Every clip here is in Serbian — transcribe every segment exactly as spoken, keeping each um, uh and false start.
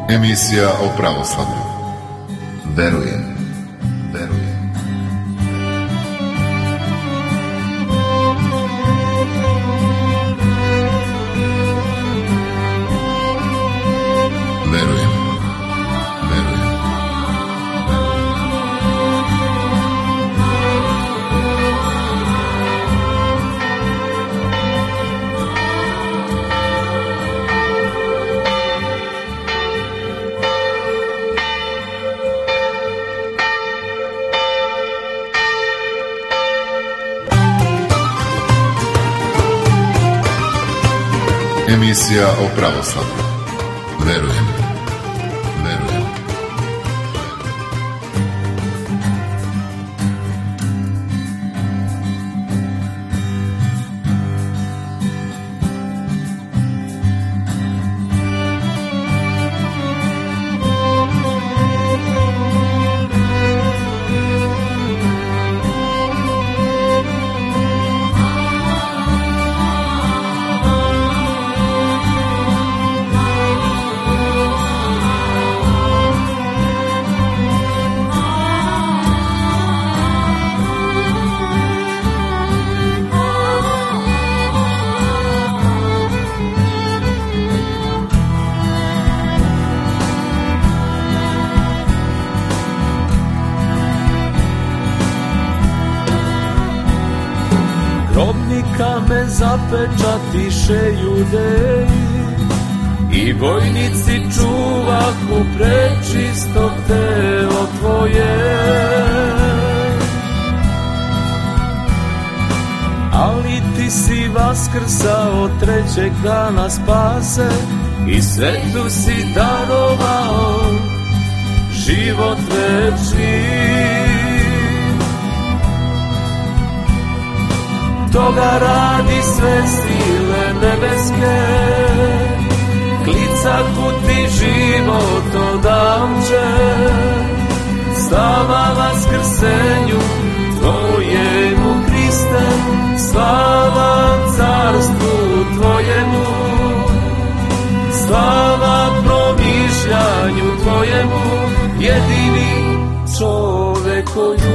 Emisija o pravoslavlju. Verujem, verujem. Verujem, verujem. Emisija o pravoslavlju. Verujem, verujem. Kamen zapečatiše Judeji i vojnici čuvahu prečisto telo tvoje. Ali ti si vaskrsao trećeg dana spase i svetu si darovao život večni. Toga radi sve sile nebeske, klicahu ti život odamče, slava vaskrsenju tvojemu Hriste, slava carstvu tvojemu, slava promišljanju tvojemu, jedini čovekoljuče.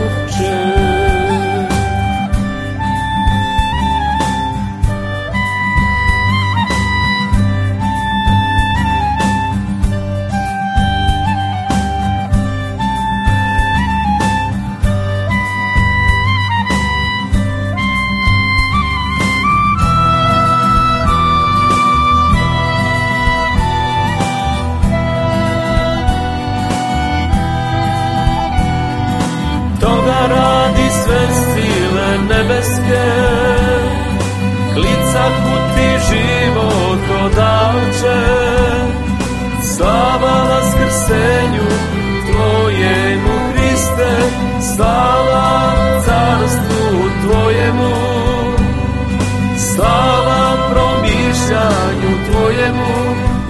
Radi sve sile nebeske, klicahu ti život odavče, slava vaskrsenju tvojemu Hriste, slava carstvu tvojemu, slava promišljanju tvojemu,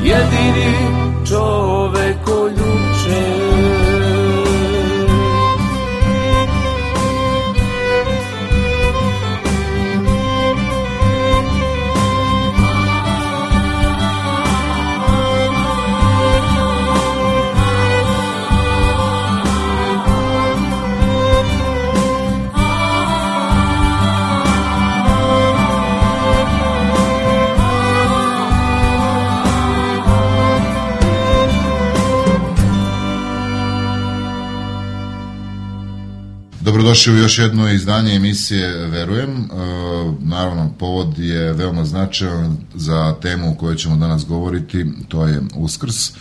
jedini čovekoljuče. Dobrodošli u još jedno izdanje emisije Verujem. E, naravno, povod je veoma značajan za temu o kojoj ćemo danas govoriti, to je Uskrs. E,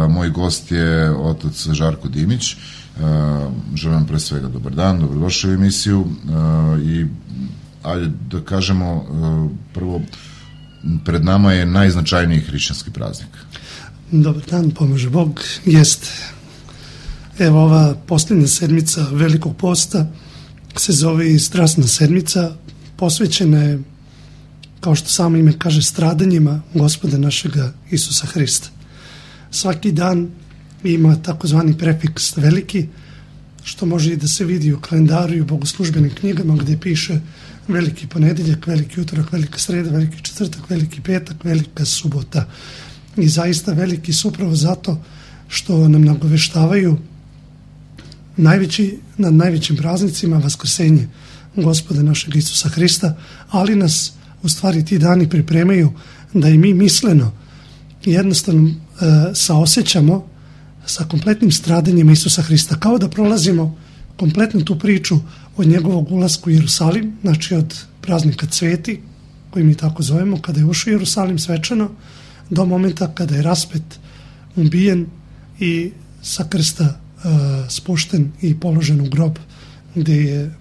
moj gost je otac Žarko Dimić. E, želim pre svega dobar dan, dobrodošli u emisiju. E, I ajde da kažemo, e, prvo, pred nama je najznačajniji hrišćanski praznik. Dobar dan, pomože Bog, jeste. Evo, ova posljednja sedmica Velikog posta se zove i Strasna sedmica, posvećena je, kao što samo ime kaže, stradanjima Gospoda našega Isusa Hrista. Svaki dan ima takozvani prefiks veliki, što može i da se vidi u kalendaru i u bogoslužbenim knjigama gdje piše veliki ponedeljak, veliki utorak, velika sreda, veliki četvrtak, veliki petak, velika subota i zaista veliki su upravo zato što nam nagoveštavaju najveći, nad najvećim praznicima Vaskrsenje Gospoda našeg Isusa Hrista, ali nas u stvari ti dani pripremaju da i mi misleno jednostavno e, saosećamo sa kompletnim stradanjem Isusa Hrista, kao da prolazimo kompletnu tu priču od njegovog ulaska u Jerusalim, znači od praznika Cveti, koji mi tako zovemo, kada je ušao u Jerusalim svečano, do momenta kada je raspet, ubijen i sa krsta e, spušten i položen u grob, gde je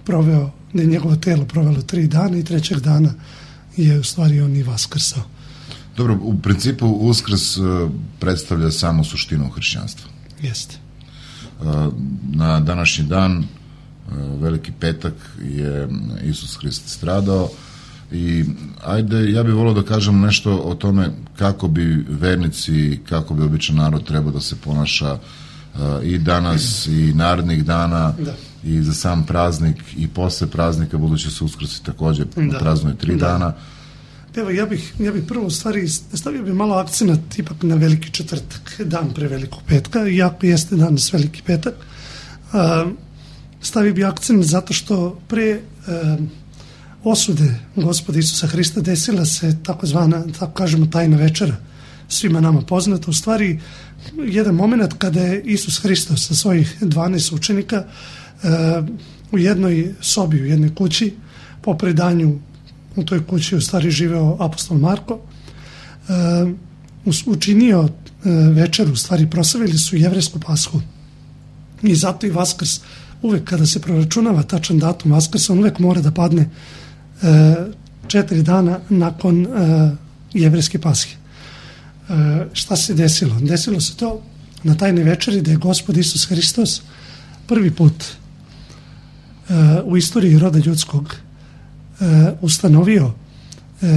proveo, gde je njegovo telo provelo tri dana i trećeg dana je u stvari on i vaskrsao. Dobro, u principu Uskrs uh, predstavlja samo suštinu hrišćanstva. Jeste. Uh, na današnji dan, uh, Veliki petak, je Isus Hrist stradao i ajde, ja bih volio da kažem nešto o tome kako bi vernici, kako bi običan narod trebao da se ponaša uh, i danas i narednih dana, da, i za sam praznik i posle praznika, budući se Uskrs također da praznuje tri da. dana. Evo, ja bih, ja bih prvo u stvari stavio bi malo akcenat ipak na Veliki četvrtak, dan pre Velikog petka, iako jeste danas Veliki petak. Uh, stavio bi akcenat zato što pre uh, osude Gospoda Isusa Hrista desila se takozvana, tako kažemo, tajna večera, svima nama poznata. U stvari, jedan moment kada je Isus Hristos sa svojih dvanaest učenika uh, u jednoj sobi, u jednoj kući, po predanju u toj kući u stvari živeo apostol Marko, uh, učinio uh, večeru, u stvari proslavili su jevrejsku pashu. I zato i Vaskrs, uvek kada se proračunava tačan datum Vaskrsa, on uvek mora da padne uh, četiri dana nakon uh, jevrejske pashe. Uh, šta se desilo? Desilo se to na tajnoj večeri da je Gospod Isus Hristos prvi put uh, u istoriji roda ljudskog Uh, ustanovio uh,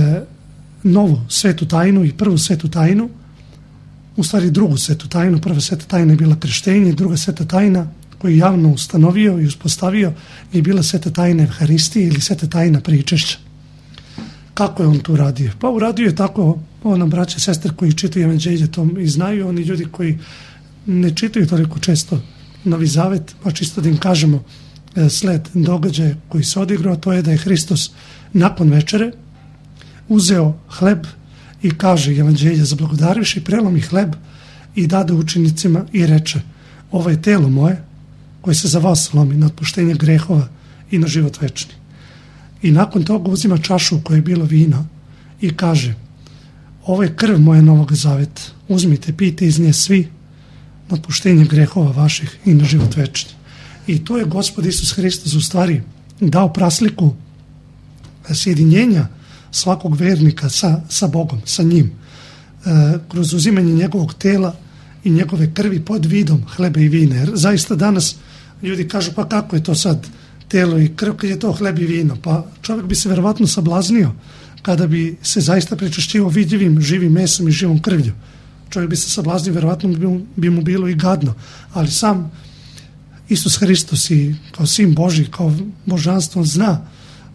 novu svetu tajnu i prvu svetu tajnu, u stvari drugu svetu tajnu. Prva sveta tajna je bila krštenje, druga sveta tajna koju je javno ustanovio i uspostavio je bila sveta tajna Evharistije ili sveta tajna pričešća. Kako je on to uradio? Pa uradio je tako, ovo nam braće i sestre koji čitaju evanđelje to i znaju, oni ljudi koji ne čitaju toliko često Novi Zavet, pa čisto da im kažemo sled događaja koji se odigrao, to je da je Hristos nakon večere uzeo hleb i kaže evanđelje, zablagodarivši, prelomi hleb i dade učenicima i reče: ovo je telo moje koje se za vas lomi na otpuštenje grehova i na život večni. I nakon toga uzima čašu koja je bilo vino i kaže: ovo je krv moja novog zaveta, uzmite, pijte iz nje svi na otpuštenje grehova vaših i na život večni. I to je Gospod Isus Hristos u stvari dao prasliku sjedinjenja svakog vernika sa, sa Bogom, sa njim, e, kroz uzimanje njegovog tela i njegove krvi pod vidom hleba i vina. Jer zaista danas ljudi kažu: pa kako je to sad telo i krv kad je to hleb i vino? Pa čovjek bi se verovatno sablaznio kada bi se zaista pričešćivao vidljivim živim mesom i živom krvlju. Čovjek bi se sablaznio, verovatno bi mu, bi mu bilo i gadno, ali sam Isus Hristos i kao sin Božji, kao božanstvo, zna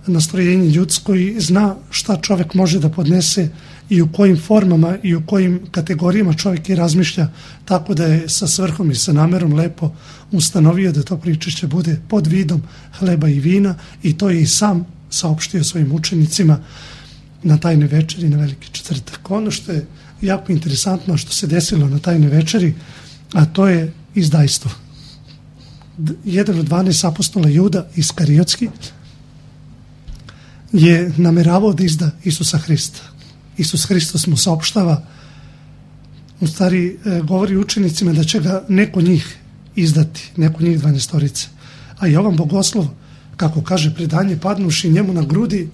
nastrojenje ljudsko i zna šta čovjek može da podnese i u kojim formama i u kojim kategorijama čovjek i razmišlja, tako da je sa svrhom i sa namerom lepo ustanovio da to pričešće bude pod vidom hleba i vina, i to je i sam saopštio svojim učenicima na tajnoj večeri na Veliki četvrtak. Ono što je jako interesantno što se desilo na tajnoj večeri, a to je izdajstvo. Jedan od dvanaest apostola, Juda Iskariotski, je nameravao da izda Isusa Hrista. Isus Hristos mu saopštava, u stvari govori učenicima da će ga neko njih izdati, neko njih dvanaestorice. A Jovan Bogoslov, kako kaže predanje, padnuši njemu na grudi,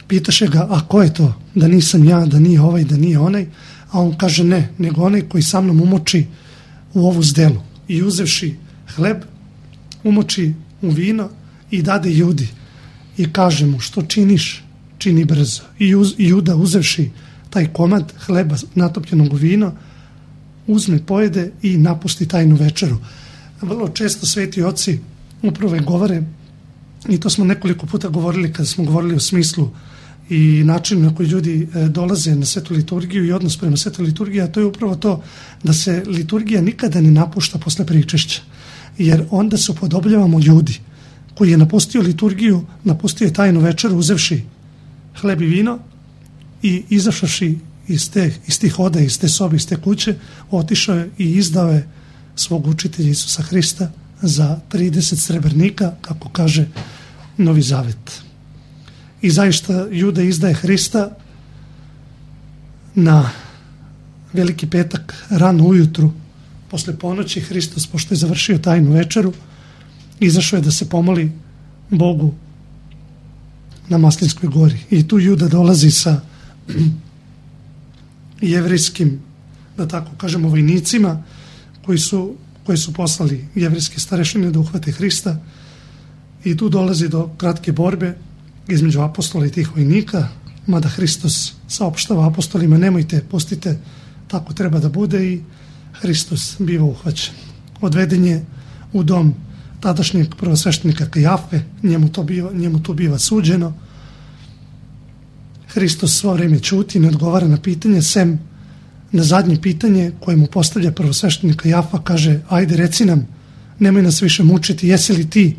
pitaše ga: a ko je to? Da nisam ja, da nije ovaj, da nije onaj. A on kaže: ne, nego onaj koji sa mnom umoči u ovu zdelu. I uzevši hleb, umoči u vino i dade Judi i kaže mu: što činiš, čini brzo. I uz, Juda, uzevši taj komad hleba natopljenog u vino, uzme, pojede i napusti tajnu večeru. Vrlo često sveti oci upravo govore, i to smo nekoliko puta govorili kada smo govorili o smislu i način na koji ljudi dolaze na svetu liturgiju i odnos prema svetu liturgiji, a to je upravo to da se liturgija nikada ne napušta posle pričešća, jer onda se upodobljavamo ljudi. Koji je napustio liturgiju, napustio je tajnu večeru uzevši hleb i vino i izašavši iz, te, iz tih oda, iz te sobe, iz te kuće, otišao je i izdao je svog učitelja Isusa Hrista za trideset srebrnika, kako kaže Novi Zavet. I zaista Juda izdaje Hrista na Veliki petak, rano ujutru, posle ponoći. Hristos, pošto je završio tajnu večeru, izašao je da se pomoli Bogu na Maslinskoj gori. I tu Juda dolazi sa jevrejskim, da tako kažemo, vojnicima koji su, koji su poslali jevrejske starešine da uhvate Hrista. I tu dolazi do kratke borbe između apostola i tih vojnika, mada Hristos saopštava apostolima: nemojte, pustite, tako treba da bude, i Hristos biva uhvaćen. Odveden je u dom tadašnjeg prvosveštenika Kajafe, njemu to biva, njemu to biva suđeno. Hristos svo vreme ćuti, ne odgovara na pitanje, sem na zadnje pitanje koje mu postavlja prvosveštenik Kajafa, kaže: ajde, reci nam, nemoj nas više mučiti, jesi li ti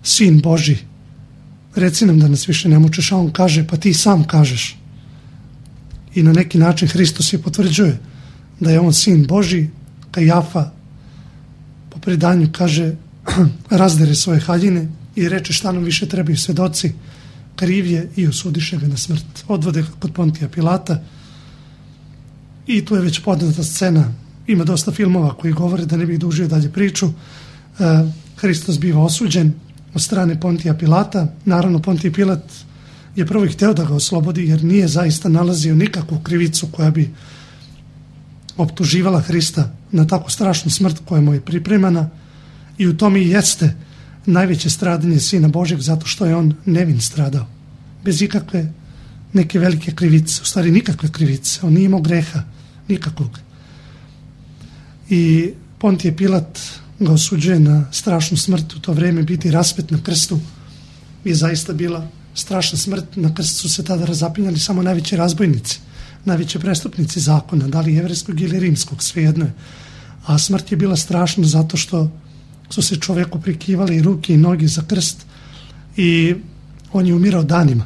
sin Božji? Reci nam da nas više ne mučiš. A on kaže: pa ti sam kažeš. I na neki način Hristos je potvrđuje da je on sin Božji. Kajafa po predanju kaže: razdere svoje haljine i reče: šta nam više trebaju svedoci? Kriv je, i osudiše ga na smrt. Odvode ga kod Pontija Pilata i tu je već poznata scena. Ima dosta filmova koji govore, da ne bih dužio dalje priču. Hristos biva osuđen od strane Pontija Pilata. Naravno, Pontij Pilat je prvo i hteo da ga oslobodi, jer nije zaista nalazio nikakvu krivicu koja bi optuživala Hrista na tako strašnu smrt koja mu je pripremana, i u tome i jeste najveće stradanje Sina Božjeg, zato što je on nevin stradao, bez ikakve neke velike krivice, u stvari nikakve krivice, on nije imao greha nikakvog. I Pontije Pilat ga osuđuje na strašnu smrt. U to vreme biti raspet na krstu je zaista bila strašna smrt. Na krstu su se tada razapinjali samo najveći razbojnici, najveći prestupnici zakona, da li jevrejskog ili rimskog, svejedno je. A smrt je bila strašna zato što su se čoveku prikivali i ruke i noge za krst i on je umirao danima.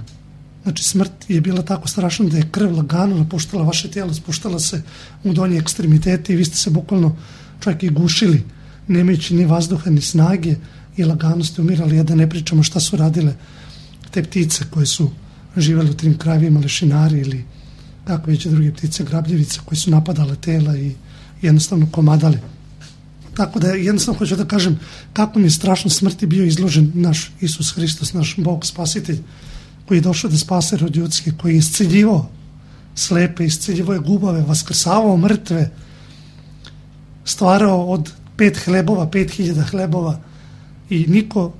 Znači, smrt je bila tako strašna da je krv lagano napuštala vaše tijelo, spuštala se u donje ekstremitete i vi ste se bukvalno čak i gušili, nemajući ni vazduha ni snage, i lagano ste umirali. Ja da ne pričamo šta su radile te ptice koje su živjeli u tim krajevima, lešinari ili kako već druge ptice, grabljevice, koje su napadale tela i jednostavno komadale. Tako da jednostavno hoću da kažem kako mi je strašno smrti bio izložen naš Isus Hristos, naš Bog spasitelj, koji je došao da spase rod ljudski, koji je isceljivao slepe, isceljivao je gubave, vaskrsavao mrtve, stvarao od pet hlebova, pet hiljada hlebova, i niko,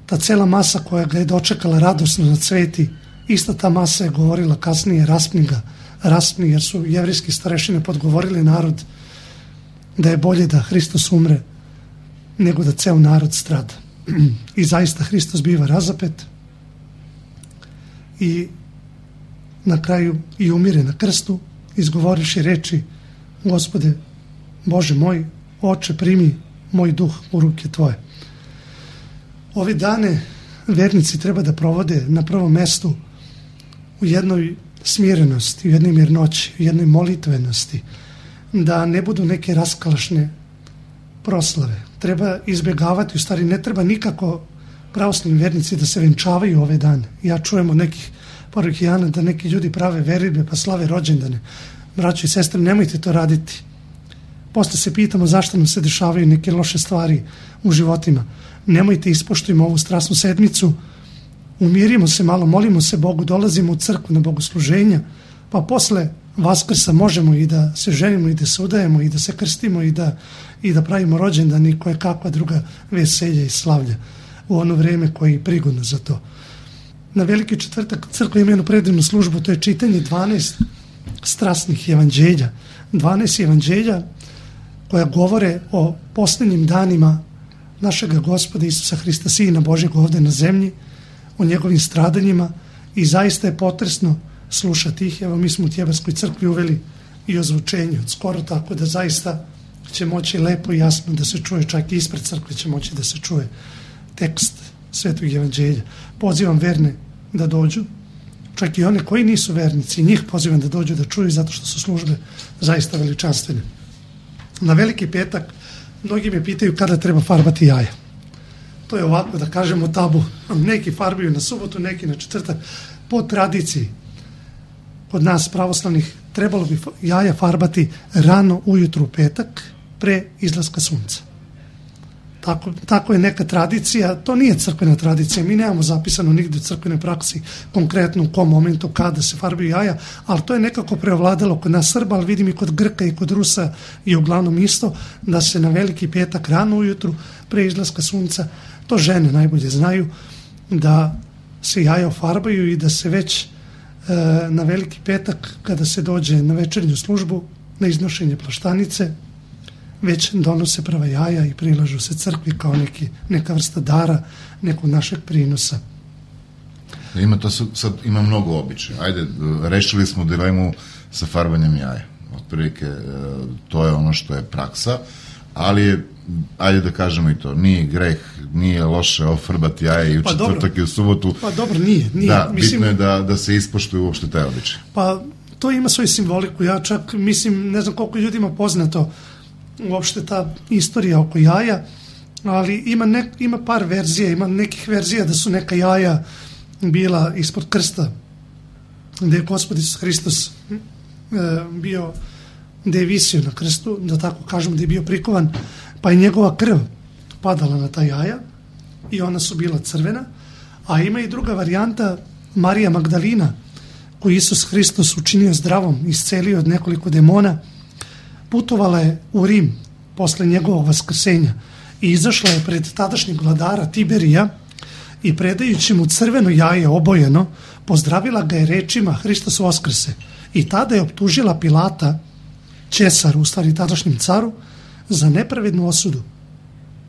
ta cela masa koja ga je dočekala radosno na cveti, ista ta masa je govorila kasnije: raspni ga, raspni, jer su jevrejski starešine podgovorili narod da je bolje da Hristos umre nego da ceo narod strada. I zaista Hristos biva razapet i na kraju i umire na krstu, izgovoriši reči: Gospode Bože moj, Oče, primi moj duh u ruke Tvoje. Ove dane vernici treba da provode na prvom mestu u jednoj smirenosti, u jednoj mirnoći, u jednoj molitvenosti, da ne budu neke raskalašne proslave. Treba izbjegavati, u stvari ne treba nikako pravoslavni vernici da se venčavaju ove dane. Ja čujem od nekih parohijana da neki ljudi prave veridbe pa slave rođendane. Braćo i sestre, nemojte to raditi. Posle se pitamo zašto nam se dešavaju neke loše stvari u životima. Nemojte, ispoštujemo ovu strasnu sedmicu, umirimo se malo, molimo se Bogu, dolazimo u crkvu na bogosluženja, pa posle Vaskrsa možemo i da se ženimo i da se udajemo i da se krstimo i da, i da pravimo rođendan i koje kakva druga veselja i slavlja u ono vreme koje je prigodno za to. Na Veliki četvrtak crkva ima jednu predivnu službu, to je čitanje dvanaest strasnih evanđelja. dvanaest evanđelja koja govore o posljednjim danima našega Gospoda Isusa Hrista, Sina Božjeg ovdje na zemlji, o njegovim stradanjima i zaista je potresno slušati ih. Evo, mi smo u Tjebarskoj crkvi uveli i ozvučenje od skoro, tako da zaista će moći lepo i jasno da se čuje, čak i ispred crkve će moći da se čuje tekst Svetog evanđelja. Pozivam verne da dođu, čak i one koji nisu vernici, njih pozivam da dođu da čuju, zato što su službe zaista veličanstvene. Na Veliki petak mnogi me pitaju kada treba farbati jaja. To je ovako, da kažemo, tabu. Neki farbaju na subotu, neki na četvrtak. Po tradiciji kod nas pravoslavnih trebalo bi jaja farbati rano ujutru u petak pre izlaska sunca. Tako, tako je neka tradicija, to nije crkvena tradicija, mi nemamo zapisano nigde u crkvenoj praksi konkretno u kom momentu kada se farbaju jaja, ali to je nekako preovladalo kod nas Srba, ali vidim i kod Grka i kod Rusa je uglavnom isto, da se na Veliki petak rano ujutru pre izlaska sunca, to žene najbolje znaju, da se jaja ofarbaju i da se već e, na Veliki petak, kada se dođe na večernju službu, na iznošenje plaštanice, već donose prva jaja i prilažu se crkvi kao neki, neka vrsta dara, nekog našeg prinosa. Ima to sad, ima mnogo običaja. Ajde, rešili smo dilemu sa farbanjem jaja. Otprilike, to je ono što je praksa, ali je, ajde da kažemo i to, nije greh, nije loše ofarbati jaja i u pa četvrtak dobro. I u subotu. Pa dobro, nije. nije. Da, mislim, bitno je da, da se ispoštuje uopšte taj običaj. Pa to ima svoju simboliku. Ja čak mislim, ne znam koliko ljudima poznato uopšte ta istorija oko jaja, ali ima, nek, ima par verzija, ima nekih verzija da su neka jaja bila ispod krsta, gde je Gospod Isus Hristos e, bio, gde je visio na krstu, da tako kažem, gde je bio prikovan, pa je njegova krv padala na ta jaja i ona su bila crvena, a ima i druga varijanta, Marija Magdalina, koju Isus Hristos učinio zdravom, iscelio od nekoliko demona, putovala je u Rim posle njegovog vaskrsenja i izašla je pred tadašnjeg vladara Tiberija i predajući mu crveno jaje obojeno, pozdravila ga je rečima Hristos vaskrse. I tada je optužila Pilata, Ćesaru, u stvari tadašnjem caru, za nepravednu osudu.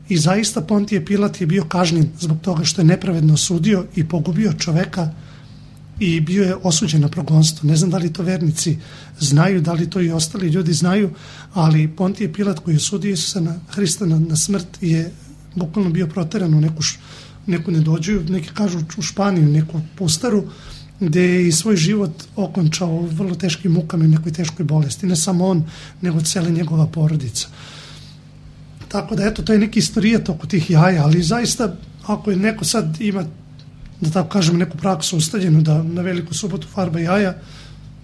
I zaista Pontije Pilat je bio kažnjen zbog toga što je nepravedno osudio i pogubio čoveka i bio je osuđen na progonstvo. Ne znam da li to vernici znaju, da li to i ostali ljudi znaju, ali Pontije Pilat koji je osudio Isusa na Hrista na, na smrt je bukvalno bio proteran u neku, neku nedođuju, neki kažu u Španiju, neku pustaru, gde je i svoj život okončao u vrlo teškim mukama i nekoj teškoj bolesti. Ne samo on, nego cijela njegova porodica. Tako da, eto, to je neki istorijat oko tih jaja, ali zaista, ako je neko sad ima, da tako kažem, neku praksu ustaljenu da na Veliku subotu farba jaja,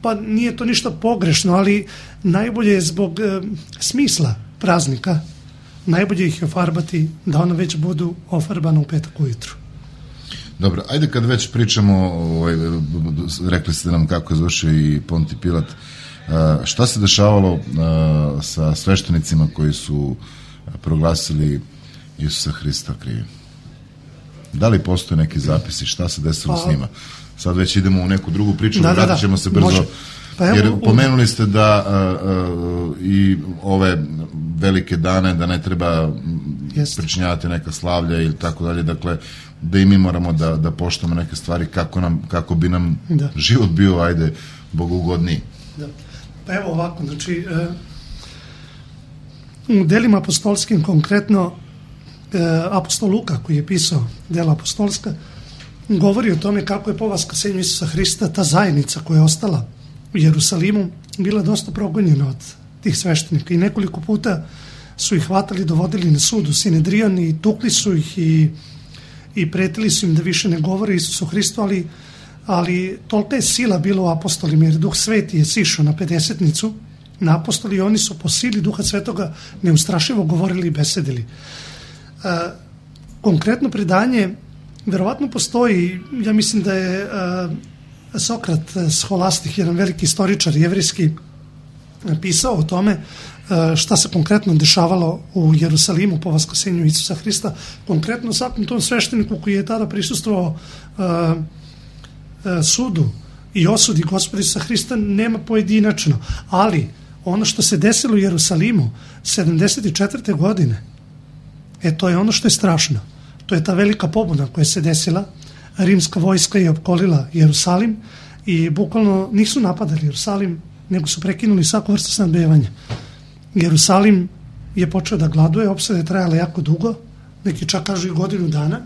pa nije to ništa pogrešno, ali najbolje je zbog e, smisla praznika, najbolje ih je ofarbati da ona već budu ofarbana u petak ujutru. Dobro, ajde kad već pričamo, ovaj, rekli ste nam kako je završio i Ponti Pilat, šta se dešavalo sa sveštenicima koji su proglasili Isusa Hrista krivim? Da li postoje neki zapisi, šta se desilo pa, s njima? Sad već idemo u neku drugu priču, da, vratit ćemo da, se brzo, pa evo, jer pomenuli ste da a, a, i ove velike dane, da ne treba jest. pričinjavati neka slavlja ili tako dalje, dakle, da i mi moramo da, da poštamo neke stvari kako, nam, kako bi nam da. život bio, ajde, bogugodniji. Da. Pa evo ovako, znači, e, u delima apostolskim konkretno e, apostol Luka koji je pisao dela apostolska govori o tome kako je po vaskrsenju Isusa Hrista ta zajednica koja je ostala u Jerusalimu bila dosta progonjena od tih sveštenika i nekoliko puta su ih hvatali, dovodili na sud u Sinedrion i tukli su ih i, i pretili su im da više ne govore Isusu Hristu, ali, ali tolika je sila bila u apostolima, jer Duh Sveti je sišao na pedesetnicu na apostoli i oni su po sili Duha Svetoga neustrašivo govorili i besedili. E, konkretno predanje verovatno postoji, ja mislim da je e, Sokrat Scholastik, jedan veliki istoričar jevrijski, pisao o tome šta se konkretno dešavalo u Jerusalimu po vaskrsenju Isusa Hrista, konkretno svakom tom svešteniku koji je tada prisustvovao uh, uh, sudu i osudi Gospoda Isusa Hrista nema pojedinačno, ali ono što se desilo u Jerusalimu sedamdeset četvrte godine, e to je ono što je strašno. To je ta velika pobuna koja se desila rimska vojska je opkolila Jerusalim i bukvalno nisu napadali Jerusalim, nego su prekinuli svaku vrstu snabdevanja. Jerusalim je počeo da gladuje, opsada je trajala jako dugo, neki čak kažu i godinu dana,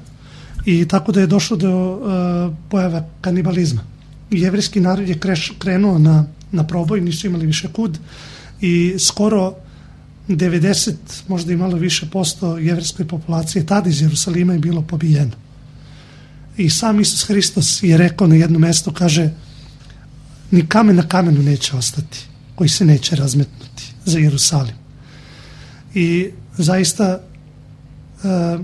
i tako da je došlo do uh, pojava kanibalizma. Jevrejski narod je kreš, krenuo na, na proboj, nisu imali više kud i skoro devedeset, možda i malo više posto jevrejskoj populacije tada iz Jerusalima je bilo pobijeno. I sam Isus Hristos je rekao na jednom mjestu, kaže, ni kamen na kamenu neće ostati, koji se neće razmetnuti za Jerusalim. I zaista uh,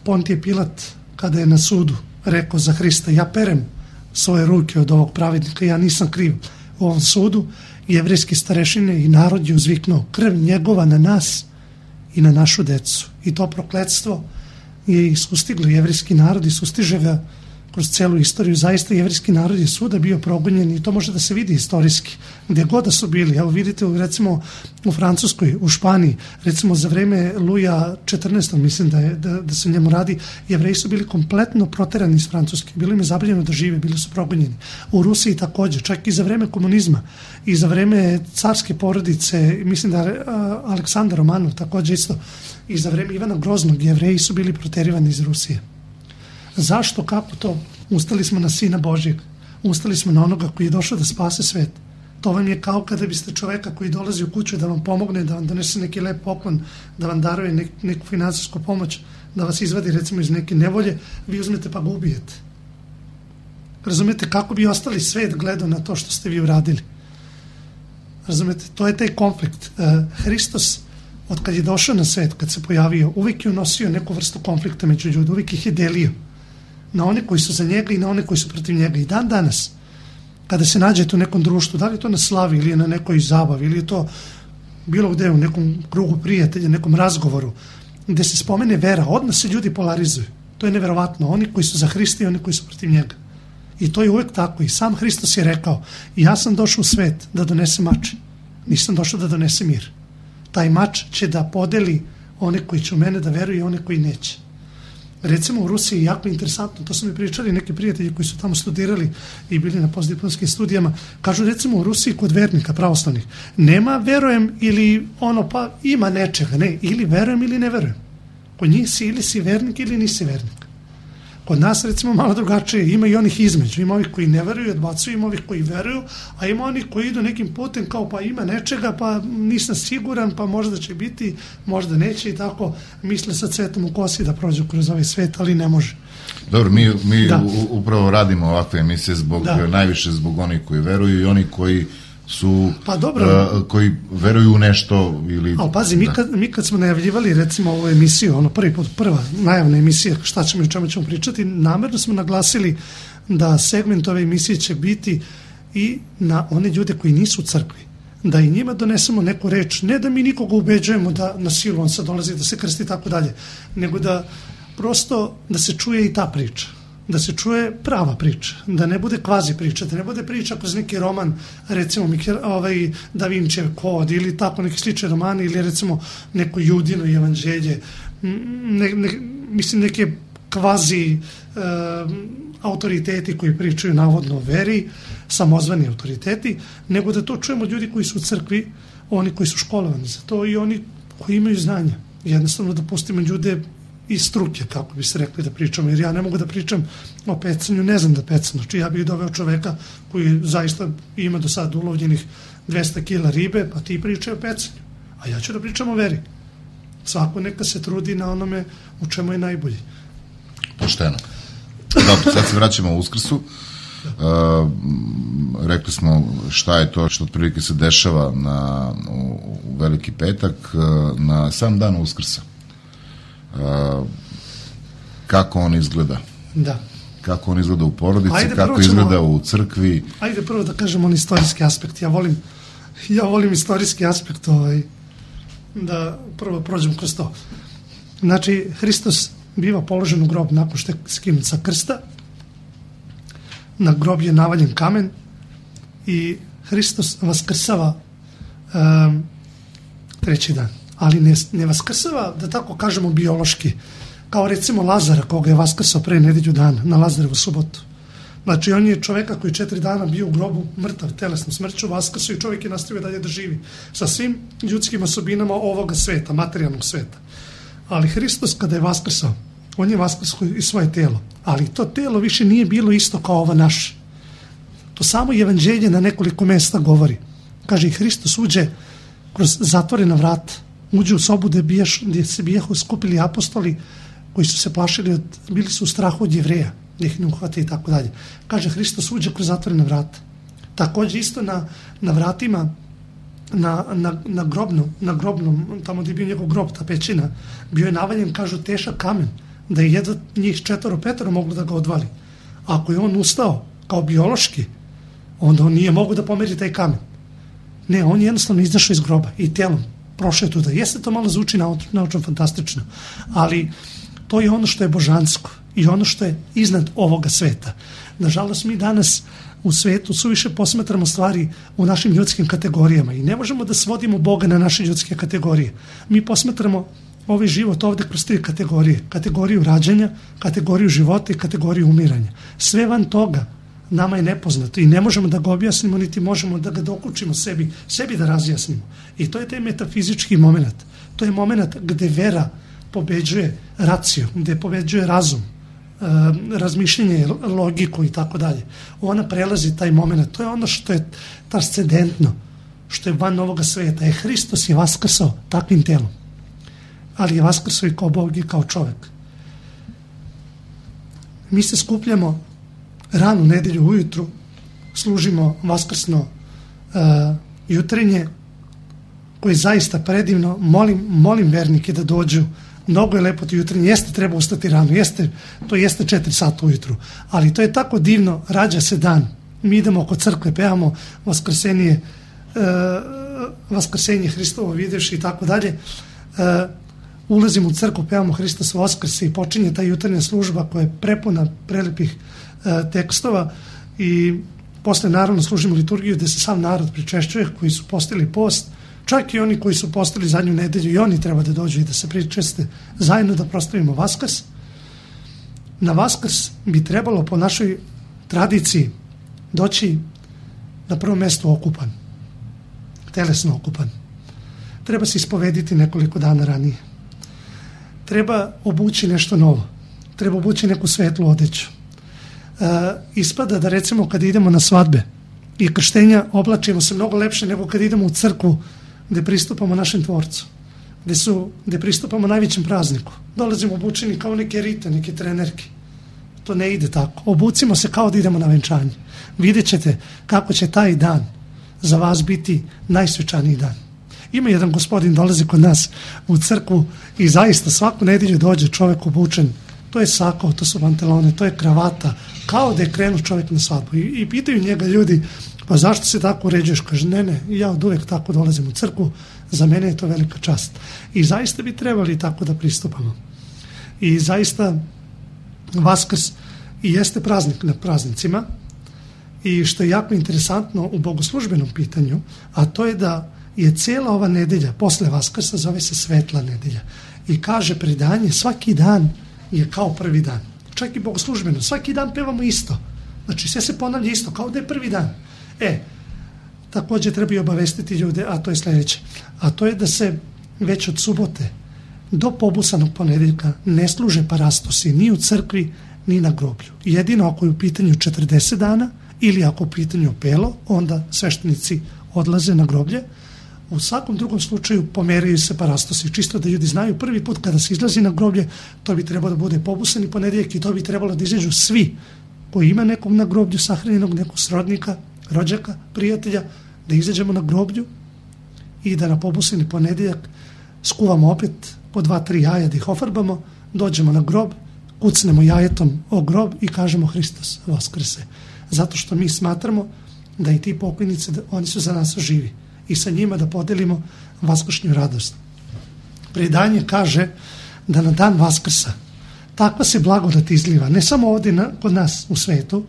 Pontije Pilat, kada je na sudu rekao za Hrista, ja perem svoje ruke od ovog pravednika, ja nisam kriv u ovom sudu, jevrejski starešine i narod je uzviknuo, krv njegova na nas i na našu decu. I to prokletstvo je sustiglo jevrejski narod i sustiže ga kroz celu istoriju. Zaista jevrejski narod je svuda bio progonjen i to može da se vidi istorijski. Gdje god da su bili, evo vidite recimo u Francuskoj, u Španiji, recimo za vreme Luja četrnaestog mislim da, je, da, da se njemu radi, Jevreji su bili kompletno proterani iz Francuske, bilo im je zabranjeno da žive, bili su progonjeni. U Rusiji također, čak i za vreme komunizma i za vreme carske porodice, mislim da Aleksandar Romanov također isto, i za vreme Ivana Groznog Jevreji su bili proterivani iz Rusije. Zašto, kako to? Ustali smo na Sina Božjeg, ustali smo na onoga koji je došao da spase svet. To vam je kao kada biste čoveka koji dolazi u kuću da vam pomogne, da vam donese neki lep poklon, da vam daruje nek, neku finansijsku pomoć, da vas izvadi recimo iz neke nevolje, vi uzmete pa ga ubijete. Razumete, kako bi ostali svet gledao na to što ste vi uradili? Razumete, to je taj konflikt. Uh, Hristos, od kad je došao na svet, kad se pojavio, uvijek je unosio neku vrstu konflikta među ljudi, uvijek ih je delio na one koji su za njega i na one koji su protiv njega. I dan danas, kada se nađete u nekom društvu, da li je to na slavi ili je na nekoj zabavi ili je to bilo gde u nekom krugu prijatelja, nekom razgovoru, gde se spomene vera, odmah se ljudi polarizuju. To je neverovatno. Oni koji su za Hrista i oni koji su protiv njega. I to je uvijek tako. I sam Hristos je rekao, ja sam došao u svet da donese mač. Nisam došao da donese mir. Taj mač će da podeli one koji će u mene da veruju i one koji neće. Recimo u Rusiji je jako interesantno, to su mi pričali neki prijatelji koji su tamo studirali i bili na postdiplomskim studijama, kažu recimo u Rusiji kod vernika pravoslavnih, nema verujem ili ono pa ima nečega, ne, ili verujem ili ne verujem. Kod njih si ili si vernik ili nisi vernik. Kod nas recimo malo drugačije, ima i onih između, ima ovih koji ne veruju, odbacuju, ima ovih koji veruju, a ima onih koji idu nekim putem kao pa ima nečega, pa nisam siguran, pa možda će biti, možda neće i tako misle sa cvetom u kosi da prođu kroz ovaj svet, ali ne može. Dobro, mi, mi upravo radimo ovakve emisije zbog, da. najviše zbog onih koji veruju i oni koji su, pa dobro, uh, koji veruju u nešto ili... Ali pazi, mi kad, mi kad smo najavljivali recimo ovu emisiju, ono prvi put, prva najavna emisija, šta ćemo i čemu ćemo pričati, namerno smo naglasili da segment ove emisije će biti i na one ljude koji nisu u crkvi, da i njima donesemo neku reč, ne da mi nikoga ubeđujemo da na silu on sad dolazi da se krsti i tako dalje, nego da prosto da se čuje i ta priča, da se čuje prava priča, da ne bude kvazi priča, da ne bude priča kroz neki roman, recimo ovaj, Da Vinčijev kod ili tako neki slični romani ili recimo neko Judino evanđelje, ne, ne, mislim neke kvazi e, autoriteti koji pričaju navodno o veri, samozvani autoriteti, nego da to čujemo ljudi koji su u crkvi, oni koji su školovani za to i oni koji imaju znanja. Jednostavno da pustimo ljude iz struke, kako bi se rekli da pričamo, jer ja ne mogu da pričam o pecanju, ne znam da pecam, znači ja bih doveo čoveka koji zaista ima do sada ulovljenih dvesta kila ribe, pa ti pričaj o pecanju, a ja ću da pričam o veri. Svako neka se trudi na onome u čemu je najbolji. Pošteno. Dobro, sad se vraćamo u Uskrsu. Uh, rekli smo šta je to što otprilike se dešava na, u, u Veliki petak, uh, na sam dan Uskrsa. Uh, kako on izgleda, da. kako on izgleda u porodici, ajde, kako ćemo, izgleda u crkvi. Ajde prvo da kažem on istorijski aspekt. Ja volim, ja volim istorijski aspekt ovaj, da prvo prođem kroz to. Znači, Hristos biva položen u grob nakon što je skinut sa krsta, na grob je navaljen kamen i Hristos vaskrsava um, treći dan. Ali ne, ne vaskrsava, da tako kažemo, biološki, kao recimo Lazara koga je vaskrsao pre nedelju dana, na Lazarevu subotu. Znači on je čoveka koji četiri dana bio u grobu mrtav telesnom smrću, vaskrsao i čovjek je nastavio dalje da živi sa svim ljudskim osobinama ovoga sveta, materijalnog sveta. Ali Hristos kada je vaskrsao, on je vaskrsao i svoje telo, ali to telo više nije bilo isto kao ovo naše. To samo evanđelje na nekoliko mesta govori. Kaže i Hristos uđe kroz zatvorena vrata, uđe u sobu gdje, biješ, gdje se bijahu skupili apostoli koji su se plašili, od, bili su u strahu od Jevreja, da ih ne uhvate i tako dalje. Kaže Hristos uđe kroz zatvorena vrata. Također isto na, na vratima, na, na, na, grobnom, na grobnom, tamo gdje je bio njegov grob, ta pećina, bio je navaljen, kažu, težak kamen, da je jedno njih četvoro petero moglo da ga odvali. Ako je on ustao kao biološki, onda on nije mogao da pomeri taj kamen. Ne, on je jednostavno izašao iz groba i telom prošao je tuda. Jeste to malo zvuči naučno fantastično, ali to je ono što je božansko i ono što je iznad ovoga sveta. Nažalost, mi danas u svetu suviše posmatramo stvari u našim ljudskim kategorijama i ne možemo da svodimo Boga na naše ljudske kategorije. Mi posmatramo ovaj život ovdje kroz tri kategorije. Kategoriju rađanja, kategoriju života i kategoriju umiranja. Sve van toga nama je nepoznato i ne možemo da ga objasnimo, niti možemo da ga dokučimo sebi, sebi da razjasnimo. I to je taj metafizički moment. To je moment gde vera pobeđuje raciju, gde pobeđuje razum, razmišljenje, logiku i tako dalje. Ona prelazi taj moment. To je ono što je transcendentno, što je van ovoga sveta. E, Hristos je vaskrsao takvim telom, ali je vaskrsao i kao Bog i kao čovjek. Mi se skupljamo ranu nedelju ujutru, služimo vaskrsno uh, jutrenje, koje je zaista predivno. Molim, molim vernike da dođu. Mnogo je lepo to jutrenje, jeste treba ustati rano, jeste, to jeste četiri sata ujutru, ali to je tako divno, rađa se dan. Mi idemo oko crkve, pevamo vaskrsenje, uh, vaskrsenje Hristovo videvši i tako dalje. Uh, ulazimo u crkvu, pevamo Hristos vaskrse i počinje ta jutarnja služba koja je prepuna prelepih uh, tekstova i posle naravno služimo liturgiju gde se sam narod pričešćuje koji su postili post. Čak i oni koji su postali zadnju nedelju i oni treba da dođu i da se pričeste zajedno da proslavimo Vaskrs. Na Vaskrs bi trebalo po našoj tradiciji doći na prvom mjestu okupan, telesno okupan. Treba se ispovediti nekoliko dana ranije. Treba obući nešto novo. Treba obući neku svetlu odeću. E, ispada da recimo kad idemo na svadbe i krštenja oblačimo se mnogo lepše nego kad idemo u crkvu gde pristupamo našem tvorcu, gde, su, gde pristupamo najvećem prazniku. Dolazimo obučeni kao neke rite, neke trenerke. To ne ide tako. Obucimo se kao da idemo na venčanje. Vidjet ćete kako će taj dan za vas biti najsvečaniji dan. Ima jedan gospodin, dolazi kod nas u crkvu i zaista svaku nedelju dođe čovjek obučen. To je sako, to su pantalone, to je kravata, kao da je krenuo čovjek na svadbu. I, i pitaju njega ljudi, pa zašto se tako uređuješ? Kaže, ne, ne, ja od uvijek tako dolazim u crkvu, za mene je to velika čast. I zaista bi trebali tako da pristupamo. I zaista Vaskrs i jeste praznik na praznicima i što je jako interesantno u bogoslužbenom pitanju, a to je da je cijela ova nedelja posle Vaskrsa zove se svetla nedelja. I kaže predanje, svaki dan je kao prvi dan. Čak i bogoslužbeno, svaki dan pevamo isto. Znači sve se ponavlja isto, kao da je prvi dan. E, također treba i obavestiti ljude, a to je sljedeće. A to je da se već od subote do pobusanog ponedeljka ne služe parastosi ni u crkvi, ni na groblju. Jedino ako je u pitanju četrdeset dana ili ako je u pitanju pelo, onda sveštenici odlaze na groblje. U svakom drugom slučaju pomeraju se parastosi. Čisto da ljudi znaju, prvi put kada se izlazi na groblje, to bi trebalo da bude pobusani ponedeljak i to bi trebalo da izađu svi koji ima nekog na groblju sahranjenog, nekog srodnika, rođaka, prijatelja, da izađemo na groblju i da na pobusani ponedeljak skuvamo opet po dva, tri jaja da ih ofarbamo, dođemo na grob, kucnemo jajetom o grob i kažemo Hristos vaskrse. Zato što mi smatramo da i ti pokojnici, oni su za nas živi i sa njima da podelimo vaskršnju radost. Predanje kaže da na dan Vaskrsa takva se blagodat izliva, ne samo ovdje na, kod nas u svetu,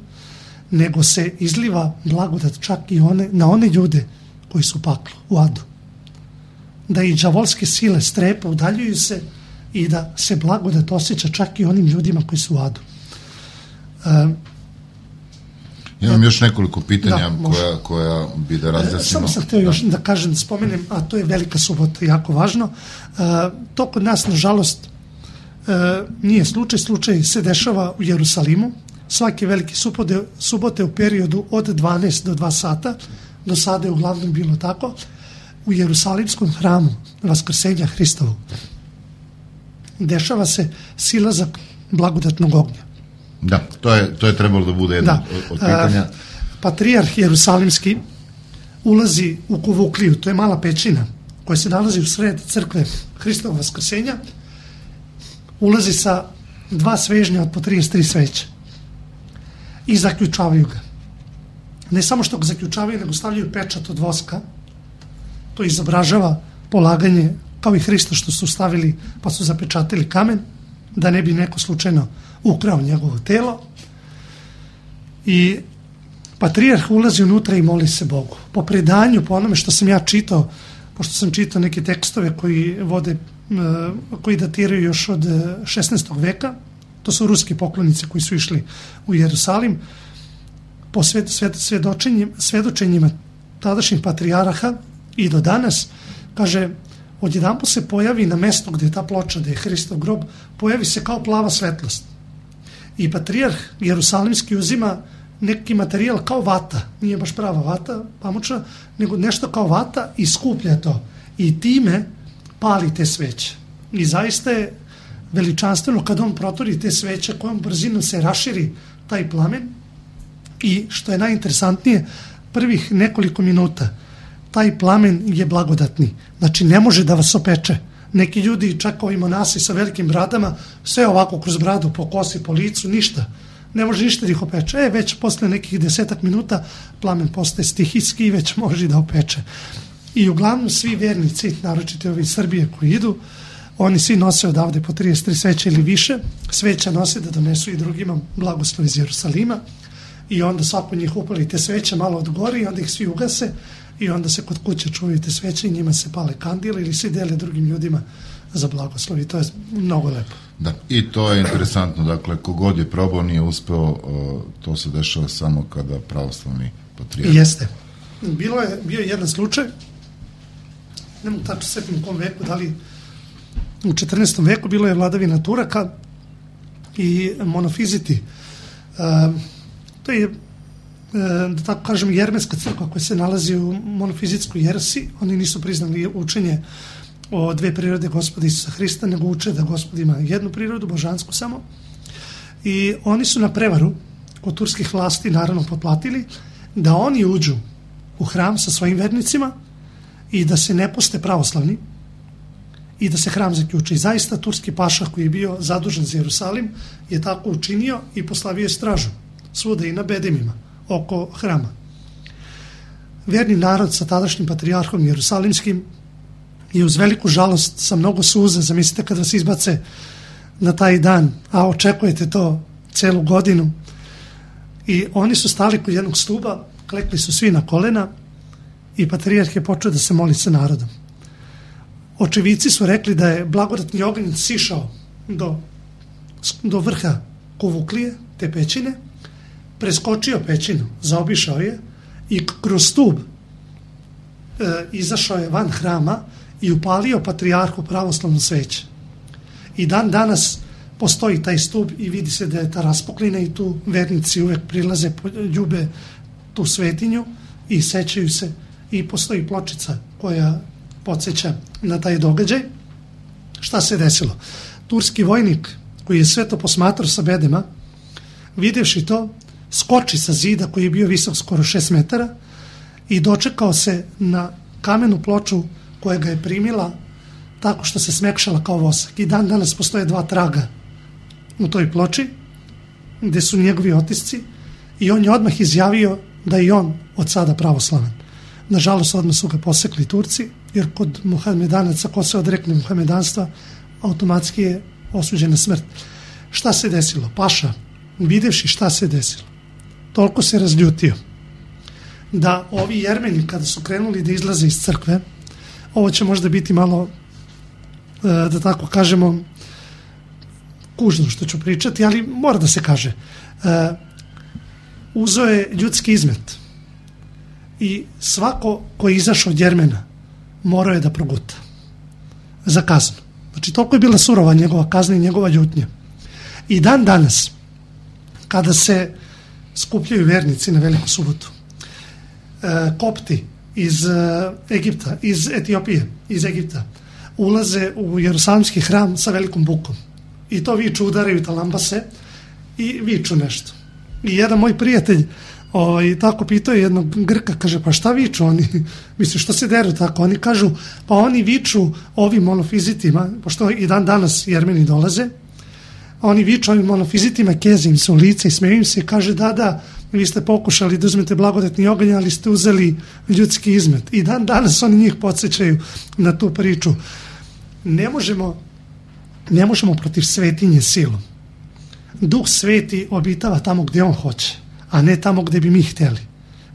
nego se izliva blagodat čak i one, na one ljude koji su u paklu, u adu. Da i đavolske sile strepe, udaljuju se i da se blagodat osjeća čak i onim ljudima koji su u adu. Uh, Imam još nekoliko pitanja da, koja, koja bi da razjasnimo. Samo sam htio još da kažem, da spomenem, a to je Velika subota, jako važno. To kod nas, nažalost, nije slučaj. Slučaj se dešava u Jerusalimu. Svake velike subote, subote u periodu od dvanaest do dva sata, do sada je uglavnom bilo tako, u Jerusalimskom hramu Vaskrsenja Hristovog dešava se silazak blagodatnog ognja. Da, to je, to je trebalo da bude jedno da. od pitanja. Patrijarh Jerusalimski ulazi u Kuvukliju, to je mala pećina koja se nalazi u sred crkve Hristovog Vaskrsenja, ulazi sa dva svežnja od po trideset tri sveće i zaključavaju ga. Ne samo što ga zaključavaju, nego stavljaju pečat od voska, to izobražava polaganje, kao i Hrista što su stavili pa su zapečatili kamen, da ne bi neko slučajno ukrao njegovo telo. I patrijarh ulazi unutra i moli se Bogu. Po predanju, po onome što sam ja čitao, pošto sam čitao neke tekstove koji vode, koji datiraju još od šesnaestog veka, to su ruski poklonici koji su išli u Jerusalim, po sved, sved, svedočenjima, svedočenjima tadašnjih patrijaraha i do danas, kaže, odjedanput se pojavi na mestu gdje je ta ploča, gdje je Hristov grob, pojavi se kao plava svetlost. I patrijarh Jerusalimski uzima neki materijal kao vata, nije baš prava vata, pamučna, nego nešto kao vata i skuplja to. I time pali te sveće. I zaista je veličanstveno kad on protori te sveće, kojom brzinom se raširi taj plamen. I što je najinteresantnije, prvih nekoliko minuta taj plamen je blagodatni. Znači ne može da vas opeče. Neki ljudi, čak ovi monasi sa velikim bradama, sve ovako kroz bradu, po kosi, po licu, ništa. Ne može ništa da ih opeče. E, već posle nekih desetak minuta plamen postaje stihijski i već može da opeče. I uglavnom svi vernici, naročito ovi iz Srbije koji idu, oni svi nose odavde po trideset tri sveće ili više. Sveća nose da donesu i drugima blagoslov iz Jerusalima. I onda svako njih upali te sveće malo od gori i onda ih svi ugase i onda se kod kuće čuvaju te sveće i njima se pale kandile ili svi dele drugim ljudima za blagoslov i to je mnogo lepo. Da, i to je interesantno, dakle, kogod je probao nije uspeo, to se dešava samo kada pravoslavni patrijarh. Jeste. Bilo je, bio je jedan slučaj, ne mogu tačno setim u kom veku, da li u četrnaestom veku bilo je vladavina Turaka i monofiziti. Uh, to je, da tako kažem, jermenska crkva koja se nalazi u monofizitskoj jeresi. Oni nisu priznali učenje o dve prirode Gospoda Isusa Hrista, nego uče da Gospod ima jednu prirodu, božansku samo. I oni su na prevaru kod turskih vlasti naravno potplatili da oni uđu u hram sa svojim vernicima i da se ne poste pravoslavni i da se hram zaključi. I zaista turski paša koji je bio zadužen za Jerusalim je tako učinio i poslavio je stražu svuda i na bedemima oko hrama. Verni narod sa tadašnjim patrijarhom Jerusalimskim je uz veliku žalost, sa mnogo suza, zamislite kad vas izbace na taj dan, a očekujete to celu godinu, i oni su stali kod jednog stuba, klekli su svi na kolena i patrijarh je počeo da se moli sa narodom. Očevici su rekli da je blagodatni oganj sišao do, do vrha Kuvuklije, te pećine, preskočio pećinu, zaobišao je i kroz stub e, izašao je van hrama i upalio patrijarhu pravoslavno sveće. I dan danas postoji taj stub i vidi se da je ta raspoklina i tu vernici uvek prilaze, ljube tu svetinju i sećaju se i postoji pločica koja podsjeća na taj događaj. Šta se desilo? Turski vojnik koji je sve to posmatrao sa bedema, videvši to, skoči sa zida koji je bio visok skoro šest metara i dočekao se na kamenu ploču koja ga je primila tako što se smekšala kao vosak. I dan danas postoje dva traga u toj ploči gde su njegovi otisci i on je odmah izjavio da je on od sada pravoslavan. Nažalost, odmah su ga posekli Turci, jer kod Muhamedanaca, ko se odrekne muhamedanstva, automatski je osuđena smrt. Šta se desilo? Paša, videvši šta se desilo, toliko se razljutio da ovi Jermeni kada su krenuli da izlaze iz crkve, ovo će možda biti malo, da tako kažemo, kužno što ću pričati, ali mora da se kaže. Uh, uzeo je ljudski izmet i svako ko je izašao od Jermena morao je da proguta za kaznu. Znači, toliko je bila surova njegova kazna i njegova ljutnja. I dan danas, kada se skupljaju vernici na Veliku subotu, uh, kopti iz uh, Egipta, iz Etiopije, iz Egipta, ulaze u Jerusalimski hram sa velikom bukom. I to viču, udaraju talambase i viču nešto. I jedan moj prijatelj ovaj, tako pitao jednog Grka, kaže, pa šta viču oni? Misli, što se deru tako? Oni kažu, pa oni viču ovim monofizitima, pošto i dan danas Jermeni dolaze, oni viču ovim monofizitima, keze im se u lice i smeju im se i kaže, da, da, vi ste pokušali da uzmete blagodatni oganj, ali ste uzeli ljudski izmet. I dan danas oni njih podsjećaju na tu priču. Ne možemo, ne možemo protiv svetinje silom. Duh sveti obitava tamo gdje on hoće, a ne tamo gdje bi mi htjeli.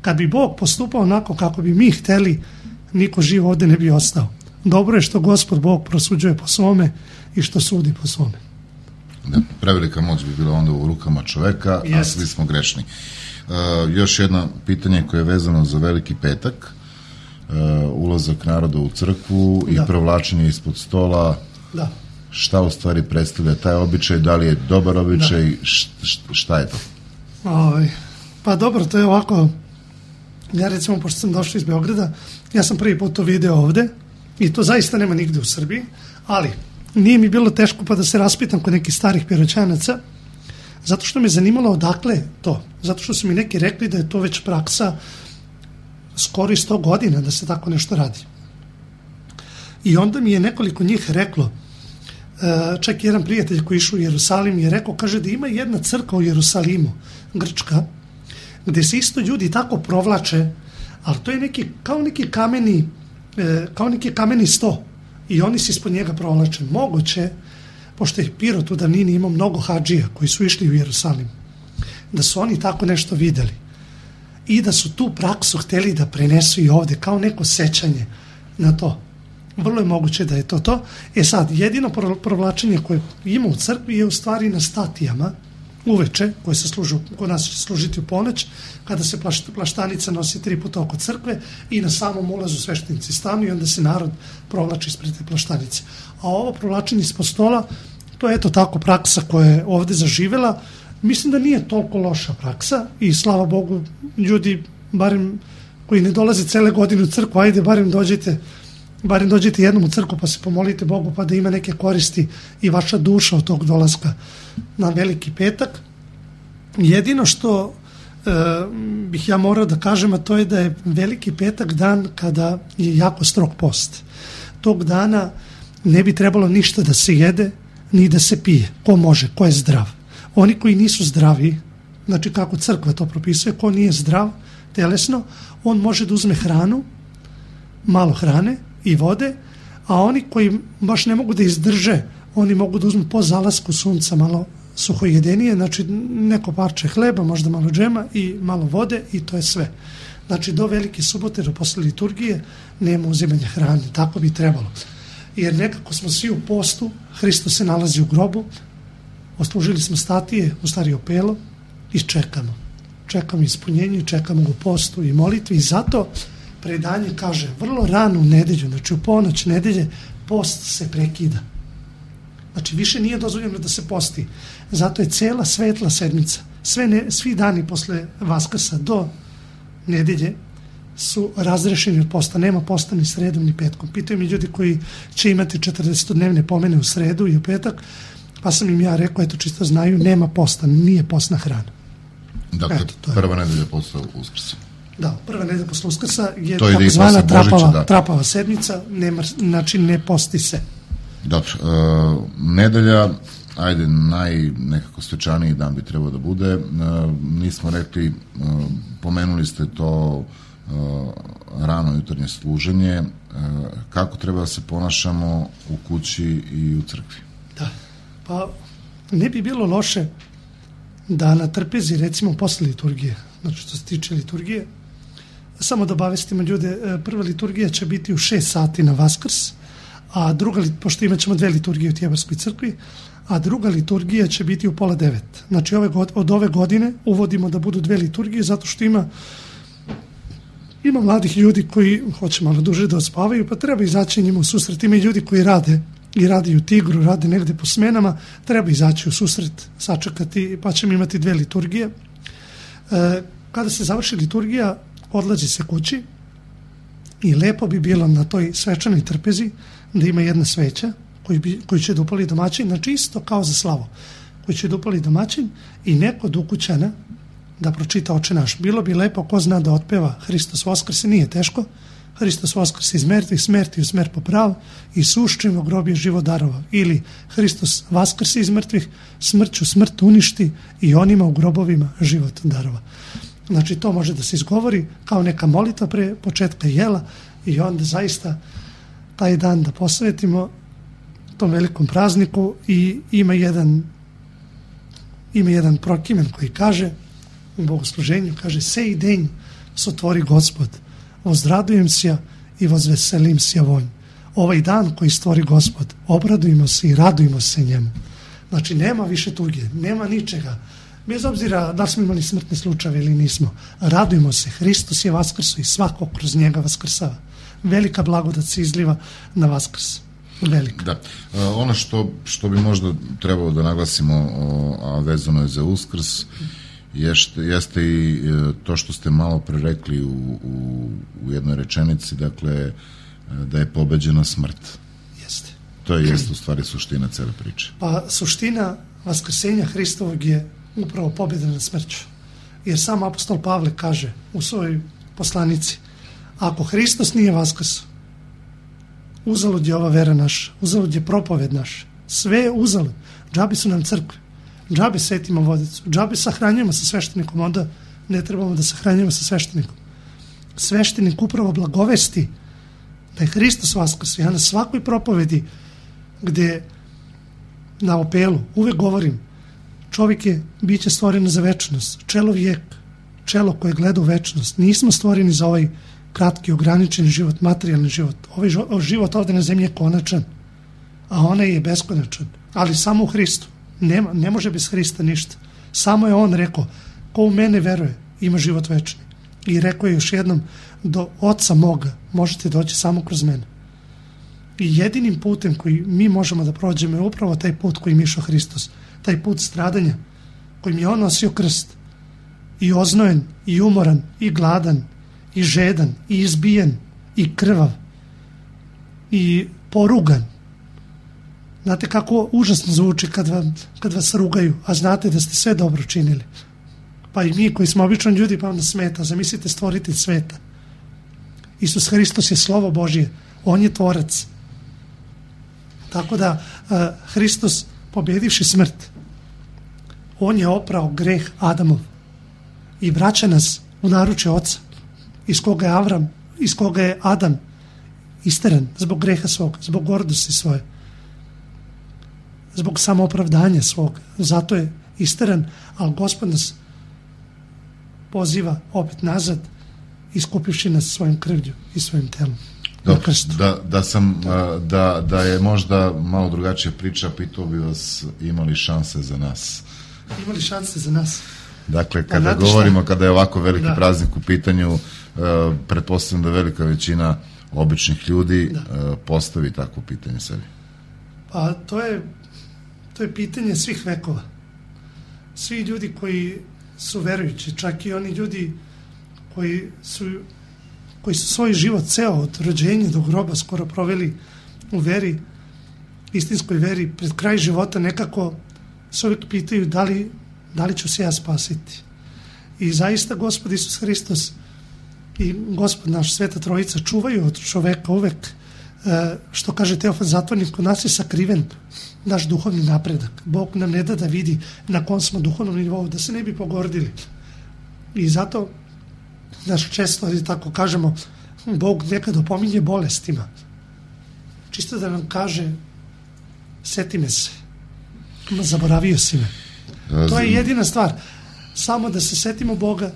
Kad bi Bog postupao onako kako bi mi htjeli, niko živ ovdje ne bi ostao. Dobro je što Gospod Bog prosuđuje po svome i što sudi po svome. Da, prevelika moć bi bila onda u rukama čoveka, a Jest. svi smo grešni. Uh, još jedno pitanje koje je vezano za Veliki petak, uh, ulazak naroda u crkvu i Da. provlačenje ispod stola. Da. Šta u stvari predstavlja taj običaj, da li je dobar običaj, š, š, šta je to? Ovaj, pa dobro, to je ovako, ja recimo, pošto sam došao iz Beograda, ja sam prvi put to video ovde i to zaista nema nigde u Srbiji, ali nije mi bilo teško pa da se raspitam kod nekih starih Piroćanaca, zato što me zanimalo odakle to, zato što su mi neki rekli da je to već praksa skoro i sto godina da se tako nešto radi. I onda mi je nekoliko njih reklo, čak jedan prijatelj koji je išao u Jerusalim je rekao, kaže da ima jedna crkva u Jerusalimu, grčka, gdje se isto ljudi tako provlače, ali to je neki, kao neki kameni, kao neki kameni sto i oni se ispod njega provlače. Moguće, pošto je Pirot u davnini imao mnogo hadžija koji su išli u Jerusalim, da su oni tako nešto videli i da su tu praksu htjeli da prenesu i ovdje, kao neko sećanje na to. Vrlo je moguće da je to to. E sad, jedino provlačenje koje ima u crkvi je u stvari na statijama uveče, koje se služu, kod nas će služiti u ponoć, kada se plaštanica nosi tri puta oko crkve i na samom ulazu sveštenici stanu i onda se narod provlači ispred te plaštanice. A ovo provlačenje ispod stola, to je eto tako praksa koja je ovdje zaživela. Mislim da nije toliko loša praksa i slava Bogu, ljudi, barem koji ne dolaze cele godine u crkvu, ajde, barem dođite barem dođete jednom u crkvu pa se pomolite Bogu pa da ima neke koristi i vaša duša od tog dolaska na Veliki petak. Jedino što e, bih ja morao da kažem, a to je da je Veliki petak dan kada je jako strog post. Tog dana ne bi trebalo ništa da se jede ni da se pije. Ko može, ko je zdrav. Oni koji nisu zdravi, znači kako crkva to propisuje, ko nije zdrav telesno, on može da uzme hranu, malo hrane i vode, a oni koji baš ne mogu da izdrže, oni mogu da uzmu po zalasku sunca malo suhojedenije, znači neko parče hleba, možda malo džema i malo vode i to je sve. Znači do Velike subote, do posle liturgije, nema uzimanja hrane, tako bi trebalo. Jer nekako smo svi u postu, Hristos se nalazi u grobu, oslužili smo statije, u stari opelo i čekamo. Čekamo ispunjenje, čekamo u postu i molitvi i zato predanje kaže, vrlo rano u nedelju, znači u ponoć nedelje, post se prekida. Znači više nije dozvoljeno da se posti. Zato je cela svetla sedmica, sve ne, svi dani posle Vaskrsa do nedelje su razrešeni od posta. Nema posta ni sredom ni petkom. Pitaju mi ljudi koji će imati četrdesetodnevne pomene u sredu i u petak, pa sam im ja rekao, eto čisto znaju, nema posta, nije postna hrana. Dakle, eto, prva nedelja posle Uskrsa. Da, prva nedelja posle Uskrsa je to takozvana trapava, da. trapava sedmica, nema, znači ne posti se. Dobro, uh, nedelja, ajde, naj nekako svečaniji dan bi trebao da bude. Uh, nismo rekli, uh, pomenuli ste to uh, rano jutarnje služenje. Uh, kako treba da se ponašamo u kući i u crkvi? Da, pa ne bi bilo loše da na trpezi, recimo posle liturgije, znači što se tiče liturgije, samo da obavestimo ljude, prva liturgija će biti u šest sati na Vaskrs, a druga, pošto imat ćemo dve liturgije u Tjebarskoj crkvi, a druga liturgija će biti u pola devet. Znači ove, od ove godine uvodimo da budu dve liturgije zato što ima ima mladih ljudi koji hoće malo duže da ospavaju, pa treba izaći njima u susret. Ima i ljudi koji rade i radi u Tigru, rade negde po smenama, treba izaći u susret, sačekati, pa ćemo imati dve liturgije. E, kada se završi liturgija, odlazi se kući i lepo bi bilo na toj svečanoj trpezi da ima jedna sveća koju, bi, koju će da upali domaćin, znači isto kao za slavu, koju će da upali domaćin i neko od ukućana da pročita Oče naš. Bilo bi lepo, ko zna da otpeva Hristos Voskrse, nije teško. Hristos Voskrse iz mrtvih, smrti u smrt poprav, i suščivo grobje život darova. Ili Hristos Vaskrse iz mrtvih, smrću smrt uništi i onima u grobovima život darova. Znači to može da se izgovori kao neka molitva pre početka jela i onda zaista taj dan da posvetimo tom velikom prazniku. I ima jedan ima jedan prokimen koji kaže u bogosluženju, kaže: sej denj sotvori Gospod, vozradujem se i vozveselim se vonj. Ovaj dan koji stvori Gospod, obradujemo se i radujemo se njemu. Znači nema više tuge, nema ničega. Bez obzira da li smo imali smrtne slučajeve ili nismo, radujemo se, Hristos je vaskrso i svako kroz njega vaskrsava. Velika blagodat se izliva na Vaskrs. Velika. Da. E, ono što, što bi možda trebalo da naglasimo, o, a vezano je za Uskrs, jeste, jeste i to što ste malo pre rekli u, u, u jednoj rečenici, dakle, da je pobeđena smrt. Jeste. To je jeste u stvari suština cele priče. Pa suština vaskrsenja Hristovog je upravo pobjeda nad smrću. Jer sam apostol Pavle kaže u svojoj poslanici: ako Hristos nije vaskrso, uzalud je ova vera naša, uzalud je propoved naša, sve je uzalud. Džabi su nam crkve, džabi svetimo vodicu, džabi sahranjujemo sa sveštenikom, onda ne trebamo da sahranjujemo sa sveštenikom. Sveštenik upravo blagovesti da je Hristos vaskrso. Ja na svakoj propovedi gde na opelu uvek govorim: čovjek je biće stvoreno za večnost, čelo vijek, čelo koje gleda u večnost. Nismo stvoreni za ovaj kratki, ograničeni život, materijalni život. Ovaj život ovdje na zemlji je konačan, a onaj je beskonačan, ali samo u Hristu. Nema, ne može bez Hrista ništa. Samo je on rekao: ko u mene veruje, ima život večni. I rekao je još jednom: do Oca moga možete doći samo kroz mene. I jedinim putem koji mi možemo da prođemo je upravo taj put koji mi išao Hristos. Taj put stradanja, kojim je on nosio krst, i oznojen, i umoran, i gladan, i žedan, i izbijen, i krvav, i porugan. Znate kako užasno zvuči kad, vam, kad vas rugaju, a znate da ste sve dobro činili. Pa i mi koji smo običan ljudi, pa vam smeta. Zamislite stvoritelj sveta. Isus Hristos je slovo Božje, on je tvorac. Tako da uh, Hristos, pobjedivši smrt, on je oprao greh Adamov i vraća nas u naručje Oca, iz koga je Avram, iz koga je Adam isteran zbog greha svog, zbog gordosti svoje, zbog samoopravdanja svog. Zato je isteran, ali Gospod nas poziva opet nazad, iskupivši nas svojim krvlju i svojim telom. Dobro, da, da, sam, da, da je možda malo drugačija priča, pitao bi vas: imali šanse za nas? Imali šanse za nas? Dakle, kada pa, govorimo, šta? Kada je ovako veliki da. praznik u pitanju, uh, pretpostavljam da velika većina običnih ljudi uh, postavi takvo pitanje sebi. Pa to je, to je pitanje svih vekova. Svi ljudi koji su verujući, čak i oni ljudi koji su koji su svoj život ceo od rođenja do groba skoro proveli u veri, istinskoj veri, pred kraj života nekako se uvijek pitaju da li, da li ću se ja spasiti. I zaista Gospod Isus Hristos i Gospod naš, Sveta Trojica, čuvaju od čoveka uvek, što kaže Teofan Zatvornik, kod nas je sakriven naš duhovni napredak. Bog nam ne da da vidi na kom smo duhovnom nivou, da se ne bi pogordili. I zato znaš, često tako kažemo, Bog nekad opominje bolestima. Čisto da nam kaže: seti me se, zaboravio si me. To je jedina stvar. Samo da se setimo Boga,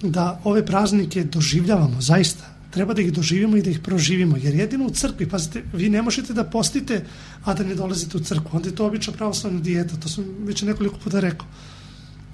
da ove praznike doživljavamo zaista treba da ih doživimo i da ih proživimo, jer jedino u crkvi, pazite, vi ne možete da postite, a da ne dolazite u crkvu, onda je to obična pravoslavna dijeta, to sam već nekoliko puta rekao.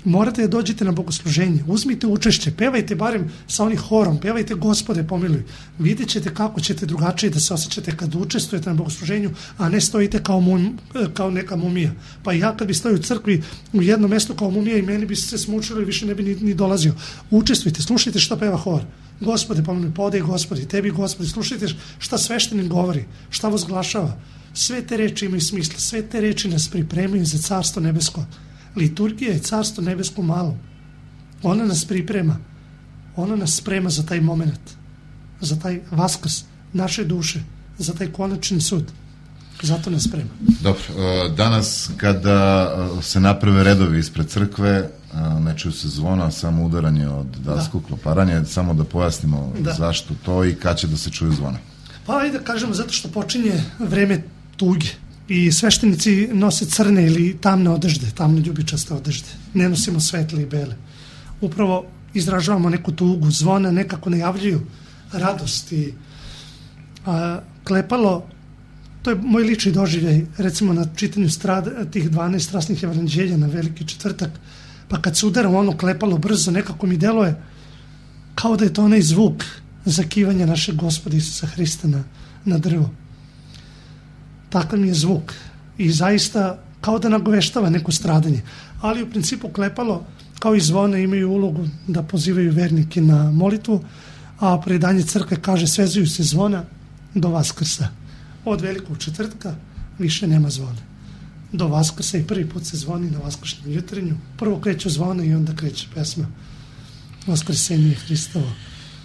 Morate da dođete na bogosluženje, uzmite učešće, pevajte barem sa onim horom, pevajte Gospode pomiluj, vidjet ćete kako ćete drugačije da se osjećate kad učestvujete na bogosluženju, a ne stojite kao, mum, kao neka mumija. Pa ja kad bi stojio u crkvi u jednom mjestu kao mumija i meni bi se smučilo i više ne bi ni, ni dolazio. Učestvujte, slušajte što peva hor. Gospode pomiluj, podaj Gospodi, tebi Gospodi, slušajte šta sveštenik govori, šta vozglašava. Sve te reči imaju smisla, sve te reči nas pripremaju za carstvo nebesko. Liturgija je carstvo nebesko malo. Ona nas priprema. Ona nas sprema za taj moment. Za taj vaskrs naše duše. Za taj konačni sud. Zato nas sprema. Dobro. Danas kada se naprave redovi ispred crkve, ne čuju se zvona, samo udaranje od dasku, da. Kloparanje. Samo da pojasnimo da. Zašto to i kad će da se čuju zvona. Pa ajde da kažemo zato što počinje vreme tuge. I sveštenici nose crne ili tamne odežde, tamne ljubičaste odežde. Ne nosimo svetle i bele. Upravo izražavamo neku tugu, zvona nekako najavljuju radost i a, klepalo, to je moj lični doživljaj, recimo na čitanju strada, tih dvanaest strasnih evanđelja na Veliki četvrtak, pa kad se udara u ono klepalo brzo, nekako mi deluje kao da je to onaj zvuk zakivanja našeg Gospoda Isusa Hrista na, na drvo. Takav mi je zvuk i zaista kao da nagoveštava neko stradanje. Ali u principu klepalo kao i zvona imaju ulogu da pozivaju vernike na molitvu, a predanje crkve kaže svezuju se zvona do Vaskrsa. Od Velikog četvrtka više nema zvona. Do Vaskrsa i prvi put se zvoni na vaskršnjem jutrenju. Prvo kreću zvona i onda kreće pesma Vaskrsenje Hristovo.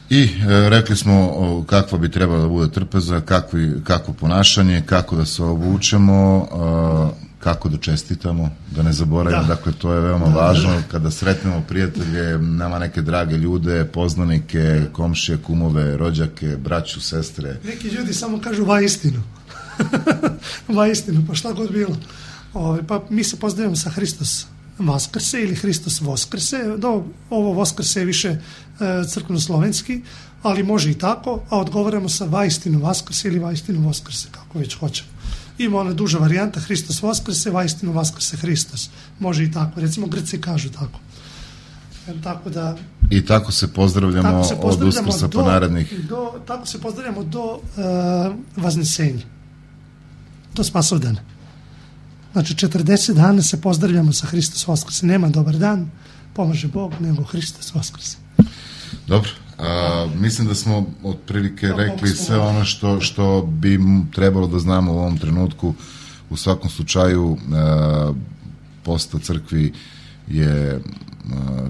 I e, rekli smo o, kakva bi trebala da bude trpeza, kakvi, kakvo ponašanje, kako da se obučemo, e, kako da čestitamo, da ne zaboravimo, da. Dakle to je veoma da, važno, da. Kada sretnemo prijatelje, nama neke drage ljude, poznanike, komšije, kumove, rođake, braću, sestre. Neki ljudi samo kažu vaistinu. Vaistinu, pa šta god bilo. O, pa mi se pozdravimo sa Hristos Vaskrse ili Hristos Voskrse, do, ovo Voskrse je više e, crkveno-slovenski, ali može i tako, a odgovaramo sa vaistinu Vaskrse ili vaistinu Voskrse, kako već hoćemo. Ima ona duža varijanta Hristos Voskrse, vaistinu Vaskrse Hristos. Može i tako, recimo Grci kažu tako. E, tako da... I tako se pozdravljamo, tako se pozdravljamo od Uskrsa po narednih... Do, tako se pozdravljamo do e, Vaznesenja, do Spasovdana. Znači, četrdeset dana se pozdravljamo sa Hristos Voskrse. Nema dobar dan, pomaže Bog, nego Hristos Voskrse. Dobro. A, mislim da smo otprilike no, rekli sve ono što, što bi trebalo da znamo u ovom trenutku. U svakom slučaju, a, posta crkvi je a,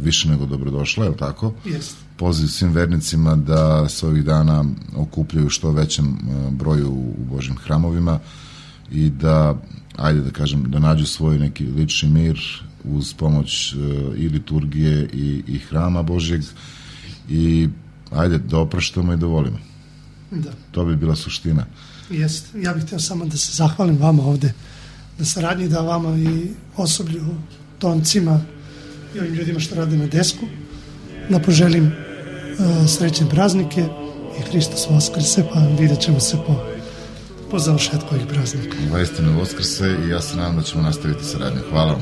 više nego dobrodošla, je li tako? Jest. Poziv svim vernicima da se ovih dana okupljaju što većem a, broju u Božjim hramovima i da ajde da kažem, da nađu svoj neki lični mir uz pomoć uh, i liturgije i, i hrama Božjeg i ajde da opraštamo i da volimo. Da. To bi bila suština. Jest. Ja bih htio samo da se zahvalim vama ovde na saradnji, da vama i osoblju, toncima i ovim ljudima što rade na desku, da poželim uh, srećne praznike i Hristos Voskrse, pa vidjet ćemo se po po završetku ovih praznika. Vaistinu Voskrse i ja se nadam da ćemo nastaviti saradnju. Hvala vam.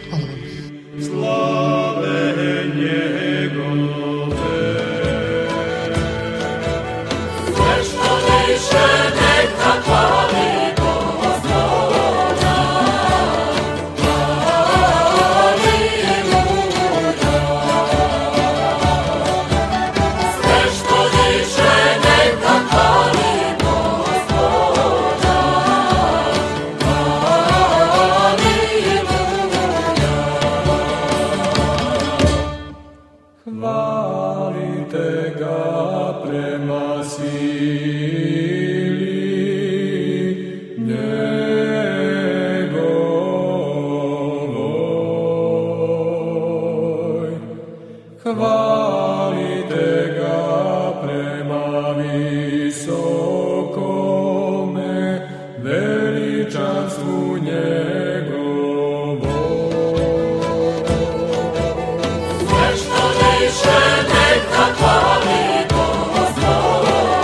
Hvala vam. Slave njegove, sve što više neka hvali Gospoda. Aleluja. Sve što više neka hvali Sve što više neka hvali Gospoda.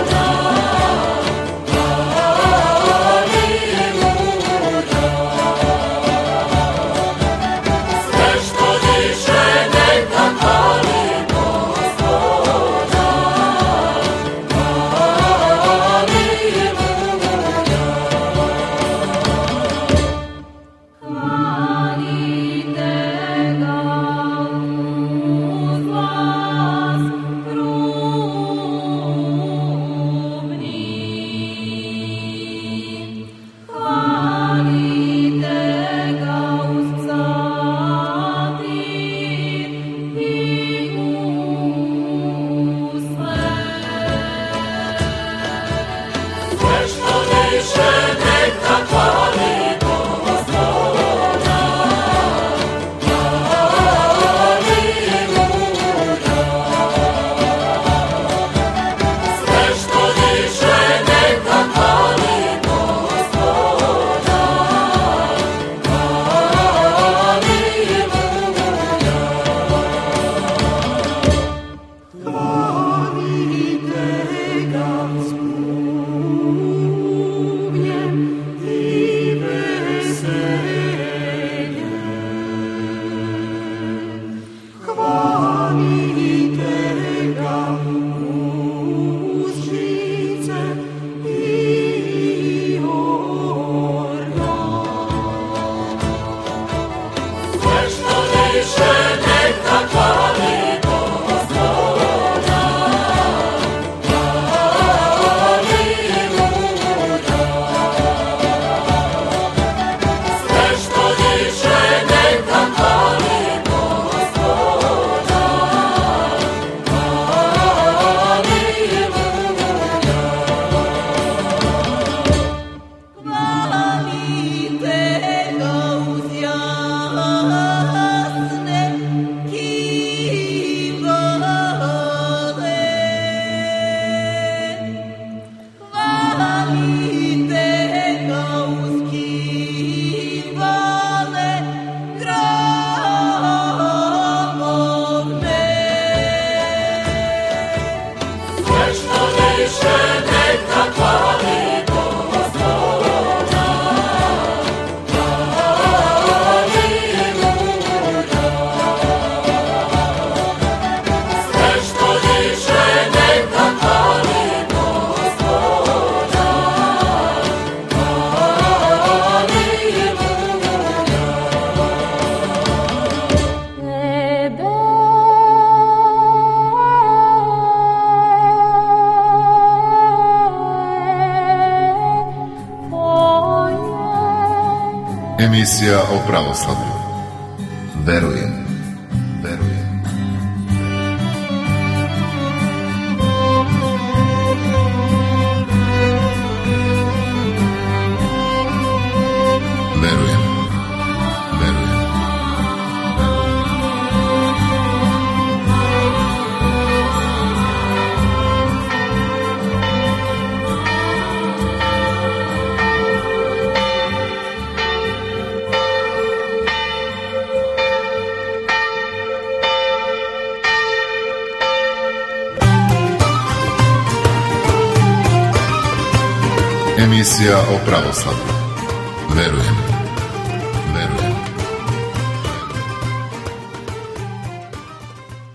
Emisija o pravoslavlju. Verujem. Verujem. Verujem. Verujem. Emisija o pravoslavlju. Verujem.